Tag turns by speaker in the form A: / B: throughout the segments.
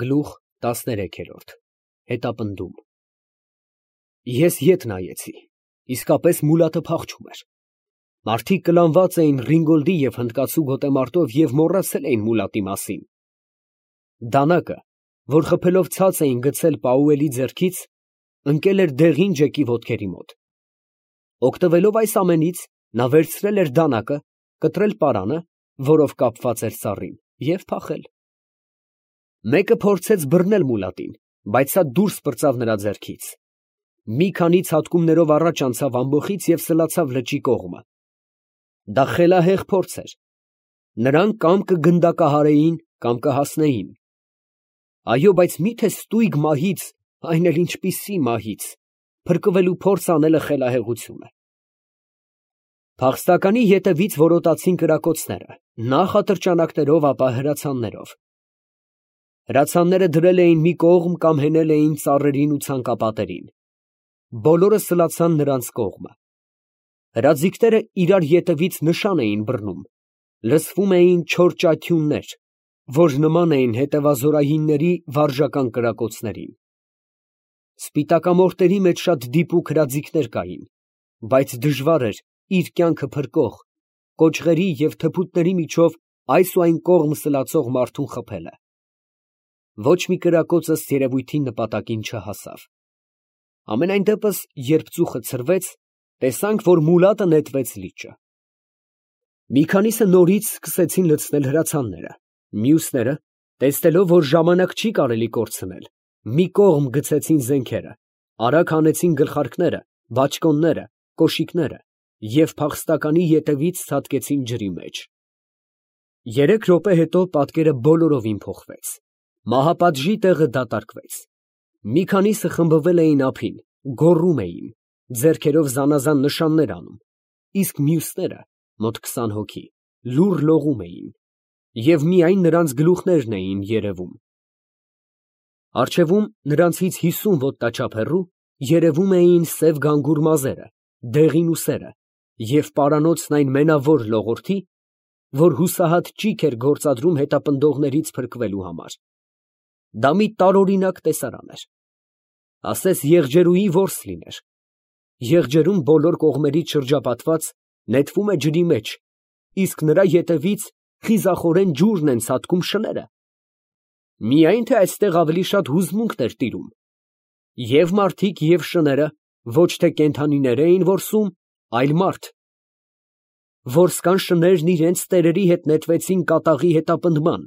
A: Գլուխ 13 Հետապնդում Ես ետ նայեցի, իսկապես Մուլատը փախչում էր։ Մարդիկ կլանված էին Ռինգոլդի և հնդկացու գոտեմարտով և մոռացել էին Մուլատի մասին։ Դանակը, որ խփելով ցած էին գցել Պաուելի ձեռքից, ընկել էր դեղին Ջեկի ոտքերի մոտ։ Օգտվելով այս ամենից, նա վերցրել էր դանակը, կտրել պարանը, որով կապված էր ծառին, և փախել։ Մեկը փորձեց բռնել Մուլատին, բայց սա դուրս պրծավ նրա ձեռքից։ Մի քանի ցատկումներով առաջ անցավ ամբոխից և սլացավ լճի կողմը։ Դա խելահեղ փորձ էր։ Նրան կամ կգնդակահարեին, կամ կհասնեին։ Այո, բայց մի՞թե ստույգ մահից, այն էլ ինչպիսի մահից, փրկվելու փորձ անելը խելահեղություն է։ Փախստականի ետևից որոտացին կրակոցները, նախ ատրճանակներով, ապա հրացաններով։ Հրացանները դրել էին մի կողմ կամ հենել էին ծառերին ու ցանկապատերին։ Բոլորը սլացան նրանց կողմը։ Հրաձիգները իրար ետևից նշան էին բռնում, լսվում էին չոր ճաթյուններ, որ նման էին հետևազորայինների վարժական կրակոցներին։ Սպիտակամորտերի մեջ շատ դիպուկ հրաձիգներ կային, բայց դժվար էր իր կյանքը փրկող, կոճղերի և թփուտների միջով այս ու այն կողմ սլացող մարդուն խփելը։ Ոչ մի կրակոց ըստ երևույթին նպատակին չհասավ։ Համենայն դեպս, երբ ծուխը ցրվեց, տեսանք, որ Մուլատը նետվեց լիճը։ Մի քանիսը նորից սկսեցին լցնել հրացանները, մյուսները, տեսնելով, որ ժամանակ չի կարելի կորցնել, մի կողմ գցեցին զենքերը, արագ հանեցին գլխարկները, բաճկոնները, կոշիկները և փախստականի ետևից ցատկեցին ջրի մեջ։ 3 րոպե հետո պատկերը բոլորովին փոխվեց։ Մահապատժի տեղը դատարկվեց։ Մի քանիսը խմբվել էին ափին, գոռում էին, ձեռքերով զանազան նշաններ անում, իսկ մյուսները, մոտ 20 հոգի, լուռ լողում էին, և միայն նրանց գլուխներն էին երևում։ Առջևում, նրանցից 50 ոտնաչափ հեռու, երևում էին սև գանգուր մազերը, դեղին ուսերը և պարանոցն այն մենավոր լողորդի, որ հուսահատ ճիգ էր գործադրում հետապնդողներից փրկվելու համար։ Դա մի տարօրինակ տեսարան էր։ Ասես եղջերուի որս լիներ։ Եղջերուն բոլոր կողմերից շրջապատված նետվում է ջրի մեջ, իսկ նրա ետևից խիզախորեն ջուրն են ցատկում շները։ Միայն թե այստեղ ավելի շատ հուզմունքն էր տիրում։ Եվ մարդիկ, և շները ոչ թե կենդանիներ էին որսում, այլ մարդ։ Որսկան շներն իրենց տերերի հետ նետվեցին կատաղի հետապնդման։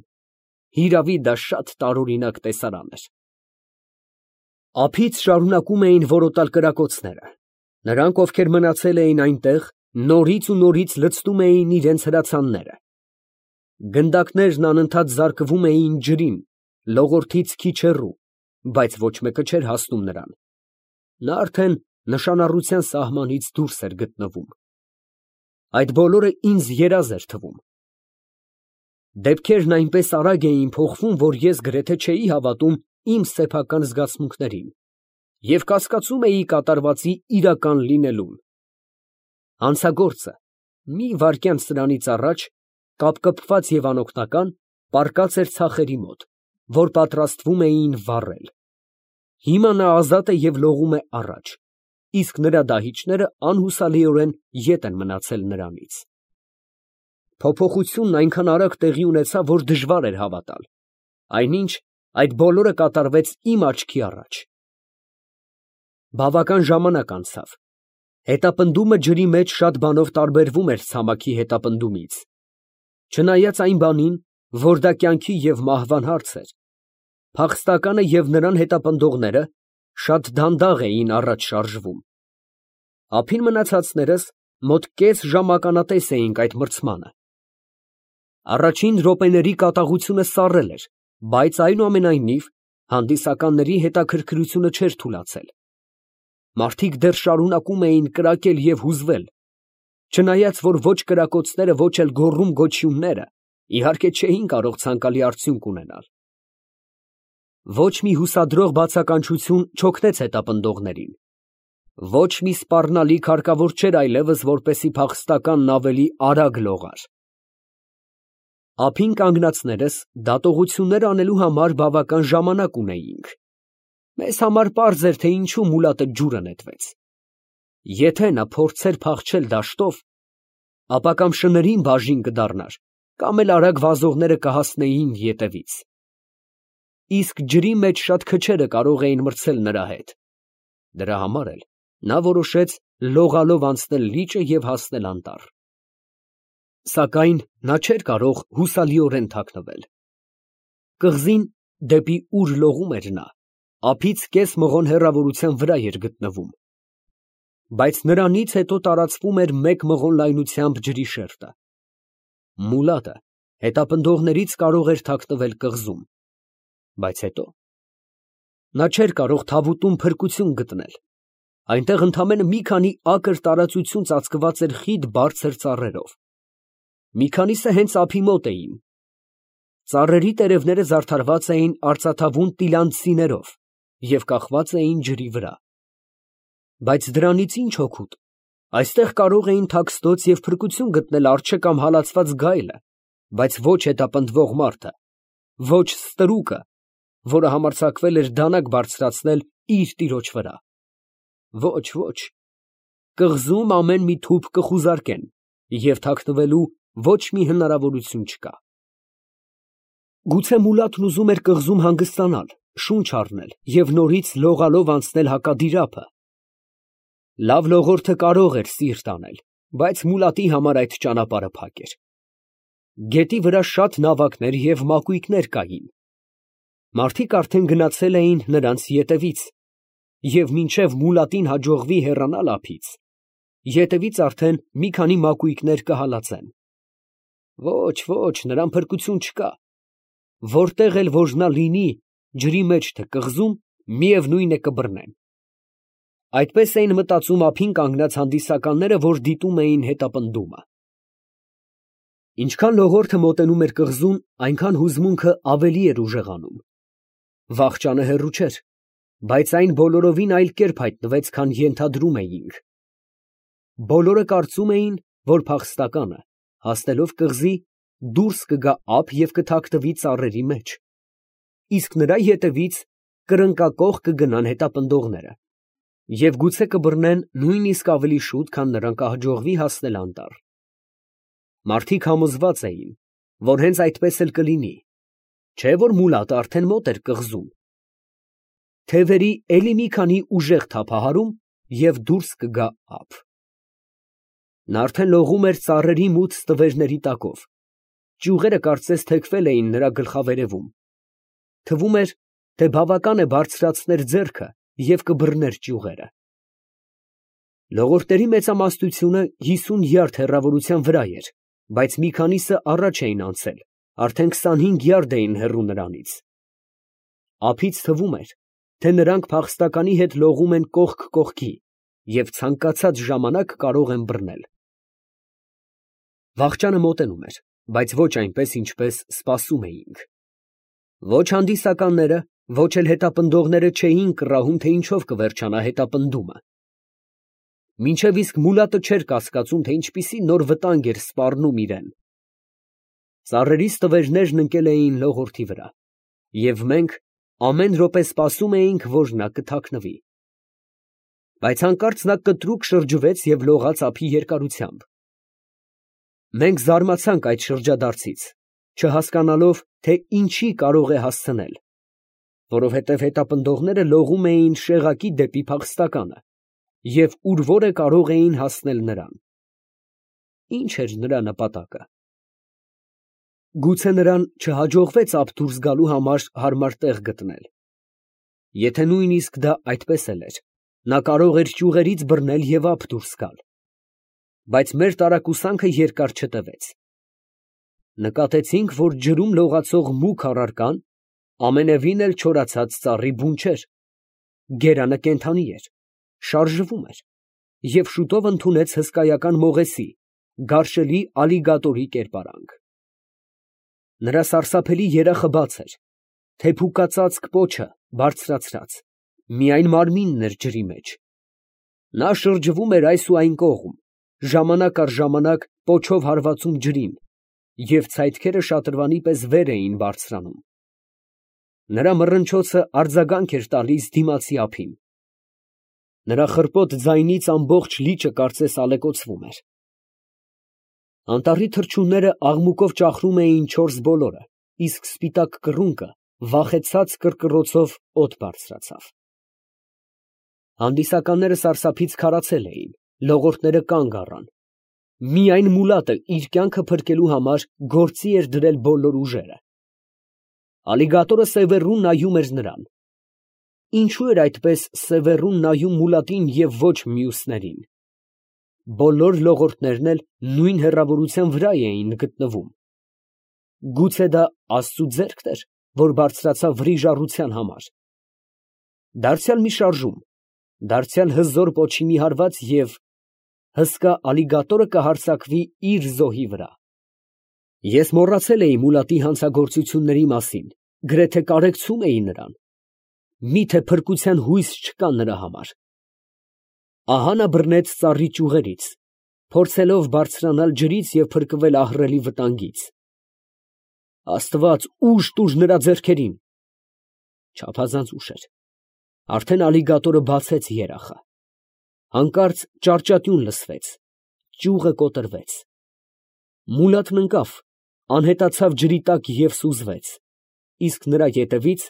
A: Հիրավի, դա շատ տարօրինակ տեսարան էր։ Ափից շարունակում էին որոտալ կրակոցները։ Նրանք, ովքեր մնացել էին այնտեղ, նորից ու նորից լցնում էին իրենց հրացանները։ Գնդակներն անընդհատ զարկվում էին ջրին, լողորդից քիչ հեռու, բայց ոչ մեկը չէր հասնում նրան։ Նա արդեն նշանառության սահմանից դուրս էր գտնվում։ Այդ բոլորը ինձ երազ էր թվում։ Դեպքերն այնպես արագ էին փոխվում, որ ես գրեթե չէի հավատում իմ սեփական զգացմունքներին և կասկածում էի կատարվածի իրական լինելուն։ Հանցագործը մի վայրկյան սրանից առաջ, կապկպված և անօգնական, պառկած էր ցախերի մոտ, որ պատրաստվում էին վառել։ Հիմա նա ազատ է և լողում է առաջ, իսկ նրա դահիճները անհուսալիորեն ետ են մնացել նրանից։ Փոփոխությունն այնքան արագ տեղի ունեցավ, որ դժվար էր հավատալ։ Այնինչ, այդ բոլորը կատարվեց իմ աչքի առաջ։ Բավական ժամանակ անցավ։ Հետապնդումը ջրի մեջ շատ բանով տարբերվում էր ցամաքի հետապնդումից։ Չնայած այն բանին, որ դա կյանքի և մահվան հարց էր, փախստականը և նրան հետապնդողները շատ դանդաղ էին առաջ շարժվում։ Ափին մնացածներս մոտ կես ժամ ականատես էինք այդ մրցմանը։ Առաջին րոպեների կատաղությունը սառել էր, բայց այնուամենայնիվ հանդիսականների հետաքրքրությունը չէր թուլացել։ Մարդիկ դեռ շարունակում էին կրակել և հուզվել, չնայած որ ոչ կրակոցները, ոչ էլ գոռում֊գոչյունները, իհարկե, չէին կարող ցանկալի արդյունք ունենալ։ Ոչ մի հուսադրող բացականչություն չօգնեց հետապնդողներին։ Ոչ մի սպառնալիք հարկավոր չէր այլևս, որպեսզի փախստականն ավելի արագ լողար։ Ափին կանգնածներս դատողություններ անելու համար բավական ժամանակ ունեինք։ Մեզ համար պարզ էր, թե ինչու մուլատը ջուրը նետվեց։ Եթե նա փորձեր փախչել դաշտով, ապա կամ շներին բաժին կդառնար, կամ էլ արագ վազողները կհասնեին ետևից։ Իսկ ջրի մեջ շատ քչերը կարող էին մրցել նրա հետ։ Դրա համար էլ նա որոշեց լողալով անցնել լիճը և հասնել անտառ։ Սակայն նա չէր կարող հուսալիորեն թաքնվել։ Կղզին, դեպի ուր լողում էր նա, ափից կես մղոն հեռավորության վրա էր գտնվում, բայց նրանից հետո տարածվում էր 1 մղոն լայնությամբ ջրի շերտը։ Մուլատը հետապնդողներից կարող էր թաքնվել կղզում, բայց հետո նա չէր կարող թավուտում փրկություն գտնել։ Այնտեղ ընդամենը մի քանի ակր տարածություն ծածկված էր խիտ բարձր ծառերով։ Մի քանիսը հենց ափի մոտ էին։ Ծառերի տերևները զարդարված էին արծաթավուն տիլանդցիներով և կախված էին ջրի վրա։ Բայց դրանից ինչ օգուտ։ Այստեղ կարող էին թաքստոց և փրկություն գտնել արջը կամ հալածված գայլը, բայց ոչ հետապնդվող մարդը, ոչ ստրուկը, որը համարձակվել էր դանակ բարձրացնել իր տիրոջ վրա։ Ոչ, ոչ, կղզում ամեն մի թուփ կխուզարկեն, և թաքնվելու ոչ մի հնարավորություն չկա։ Գուցե Մուլատն ուզում էր կղզում հանգստանալ, շունչ առնել և նորից լողալով անցնել հակադիր ափը։ Լավ լողորդը կարող էր սիրտ անել, բայց Մուլատի համար այդ ճանապարհը փակ էր։ Գետի վրա շատ նավակներ և մակույկներ կային։ Մարդիկ արդեն գնացել էին նրանց ետևից, և մինչև Մուլատին հաջողվի հեռանալ ափից, ետևից արդեն մի քանի մակույկներ կհալածեն։ Ոչ, ոչ, նրան փրկություն չկա։ Որտեղ էլ որ նա լինի, ջրի մեջ թե կղզում, միևնույն է կբռնեն։ Այդպես էին մտածում ափին կանգնած հանդիսականները, որ դիտում էին հետապնդումը։ Ինչքան լողորդը մոտենում էր կղզուն, այնքան հուզմունքը ավելի էր ուժեղանում։ Վախճանը հեռու չէր, բայց այն բոլորովին այլ կերպ հայտնվեց, քան ենթադրում էինք։ Բոլորը կարծում էին, որ փախստականը, հասնելով կղզի, դուրս կգա ափ և կթաքնվի ծառերի մեջ, իսկ նրա ետևից կրնկակոխ կգնան հետապնդողները և գուցե կբռնեն նույնիսկ ավելի շուտ, քան նրան կհաջողվի հասնել անտառ։ Մարդիկ համոզված էին, որ հենց այդպես էլ կլինի, չէ՞ որ Մուլատը արդեն մոտ էր կղզում։ Թևերի էլի մի քանի ուժեղ թափահարում և դուրս կգա ափ։ Նա արդեն լողում էր ծառերի մութ ստվերների տակով, ճյուղերը կարծես թեքվել էին նրա գլխավերևում։ Թվում էր, թե բավական է բարձրացներ ձեռքը և կբռներ ճյուղերը։ Լողորդների մեծամասնությունը 50 յարդ հեռավորության վրա էր, բայց մի քանիսը առաջ էին անցել, արդեն 25 յարդ էին հեռու նրանից։ Ափից թվում էր, թե նրանք փախստականի հետ լողում են կողք կողքի և ցանկացած ժամանակ կարող են բռնել։ Վախճանը մոտենում էր, բայց ոչ այնպես, ինչպես սպասում էինք։ Ոչ հանդիսականները, ոչ էլ հետապնդողները չէին կռահում, թե ինչով կվերջանա հետապնդումը։ Մինչև իսկ Մուլատը չէր կասկածում, թե ինչպիսի նոր վտանգ էր սպառնում իրան։ Ծառերի ստվերներն ընկել էին լողորդի վրա, և մենք ամեն րոպե սպասում էինք, որ նա կթաքնվի։ Բայց հանկարծ նա կտրուկ շրջվեց և լողաց ափի երկարությամբ։ Մենք զարմացանք այդ շրջադարձից, չհասկանալով, թե ինչի կարող է հասցնել, որովհետև հետապնդողները լողում էին շեղակի դեպի փախստականը և ուր որ է կարող էին հասնել նրան։ Ի՞նչ էր նրա նպատակը։ Գուցե նրան չհաջողվեց ափ դուրս գալու համար հարմար տեղ գտնել։ Եթե նույնիսկ դա այդպես էլ էր, նա կարող էր ճյուղերից բռնել և ափ դուրս գալ։ Բայց մեր տարակուսանքը երկար չտևեց։ Նկատեցինք, որ ջրում լողացող մուգ առարկան ամենևին էլ չորացած ծառի բուն չէր։ Գերանը կենդանի էր, շարժվում էր և շուտով ընդունեց հսկայական մողեսի, գարշելի ալիգատորի կերպարանք։ Նրա սարսափելի երախը բաց էր, թեփուկածածկ պոչը բարձրացրած, միայն մարմինն էր ջրի մեջ։ Նա շրջվում էր այս ու այն կողմ, ժամանակ առ ժամանակ պոչով հարվածում ջրին, և ցայտքերը շատրվանի պես վեր էին բարձրանում։ Նրա մռնչոցը արձագանք էր տալիս դիմացի ափին։ Նրա խռպոտ ձայնից ամբողջ լիճը կարծես ալեկոծվում էր։ Անտառի թռչունները աղմուկով ճախրում էին չորս բոլորը, իսկ սպիտակ կռունկը վախեցած կռկռոցով օդ բարձրացավ։ Հանդիսականները սարսափից քարացել էին, լողորդները կանգ առան։ Միայն Մուլատը իր կյանքը փրկելու համար գործի էր դրել բոլոր ուժերը։ Ալիգատորը սևեռուն նայում էր նրան։ Ինչո՞ւ էր այդպես սևեռուն նայում Մուլատին և ոչ մյուսներին։ Բոլոր լողորդներն էլ նույն հեռավորության վրա էին գտնվում։ Գուցե դա Աստծու ձեռքն էր, որ բարձրացավ վրիժառության համար։ Դարձյալ մի շարժում, դարձյալ հզոր պոչի մի հարված և հսկա ալիգատորը կհարձակվի իր զոհի վրա։ Ես մոռացել էի Մուլատի հանցագործությունների մասին, գրեթե կարեկցում էի նրան։ Միթե փրկության հույս չկա նրա համար։ Ահա նա բռնեց ծառի ճյուղերից, փորձելով բարձրանալ ջրից և փրկվել ահռելի վտանգից։ Աստված, ուժ տուր նրա ձեռքերին։ Չափազանց ուշ էր։ Արդեն ալիգատորը բացեց երախը։ Հանկարծ ճարճատյուն լսվեց, ճյուղը կոտրվեց։ Մուլատն ընկավ, անհետացավ ջրի տակ և սուզվեց, իսկ նրա ետևից,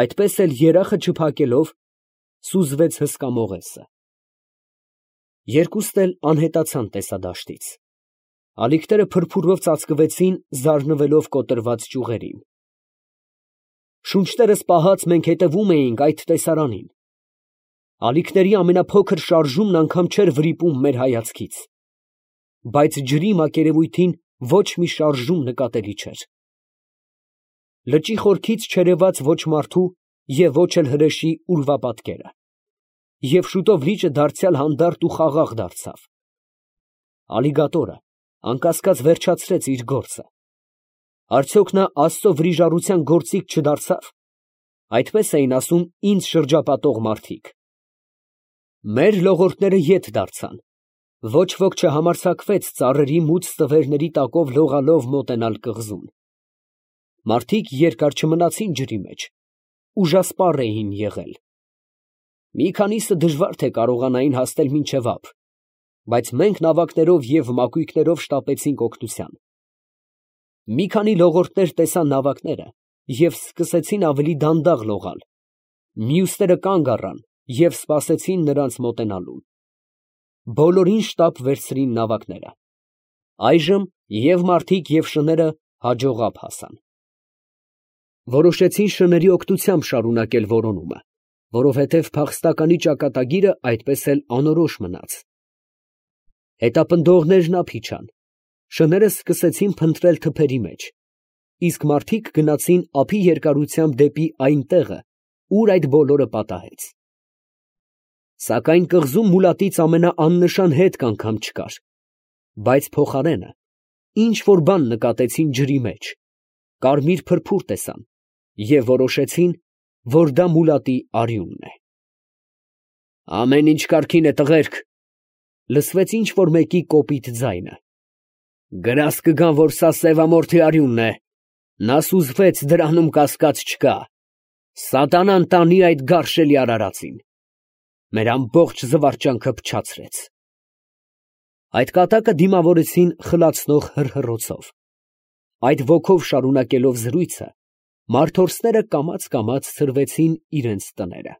A: այդպես էլ երախը չփակելով, սուզվեց հսկա մողեսը։ Երկուստ էլ անհետացան տեսադաշտից։ Ալիքները փրփուրով ծածկվեցին, զարնվելով կոտրված ճյուղերին։ Շունչներս պահած մենք հետևում էինք այդ տեսարանին։ Ալիքների ամենափոքր շարժումն անգամ չէր վրիպում մեր հայացքից։ Բայց ջրի մակերևույթին ոչ մի շարժում նկատելի չէր։ Լճի խորքից չերևաց ոչ մարդու և ոչ էլ հրեշի ուրվապատկերը։ Եվ շուտով լիճը դարձյալ հանդարտ ու խաղաղ դարձավ։ Ալիգատորը անկասկած վերջացրեց իր գործը։ Արդյոք նա Աստծո վրիժառության գործիք չդարձավ։ Այդպես էին ասում ինձ շրջապատող մարդիկ։ Մեր լողորդները ետ դարձան։ Ոչ ոք չհամարձակվեց ծառերի մուգ ստվերների տակով լողալով մոտենալ կղզուն։ Մարդիկ երկար չմնացին ջրի մեջ, ուժասպառ էին եղել։ Մի քանիսը դժվար թե կարողանային հասնել մինչև ափ, բայց մենք նավակներով և մակույկներով շտապեցինք օգնության։ Մի քանի լողորդներ տեսան նավակները և սկսեցին ավելի դանդաղ լողալ, մյուսները կանգ առան և սպասեցին նրանց մոտենալուն։ Բոլորին շտապ վերցրին նավակները։ Այժմ և մարդիկ, և շները հաջող ափ հասան։ Որոշեցին շների օգնությամբ շարունակել որոնումը, որովհետև փախստականի ճակատագիրը այդպես էլ անորոշ մնաց։ Հետապնդողներն ափ իջան, շները սկսեցին փնտրել թփերի մեջ, իսկ մարդիկ գնացին ափի երկարությամբ դեպի այն տեղը, ուր այդ բոլորը պատահեց։ Սակայն կղզում Մուլատից ամենաաննշան հետք անգամ չկար, բայց փոխարենը ինչ֊որ բան նկատեցին ջրի մեջ, կարմիր փրփուր տեսան և որոշեցին, որ դա Մուլատի արյունն է։ «Ամեն ինչ կարգին է, տղերք», ֊ լսվեց ինչ֊որ մեկի կոպիտ ձայնը։ «Գրազ կգան, որ սա սևամորթի արյունն է, նա սուզվեց, դրանում կասկած չկա։ Սատանան տանի այդ գարշելի արարածին։ Մեր ամբողջ զվարճանքը փչացրեց»։ Այդ կատակը դիմավորեցին խլացնող հռհռոցով։ Այդ ոգով շարունակելով զրույցը, մարդորսները կամաց֊կամաց ցրվեցին իրենց տները։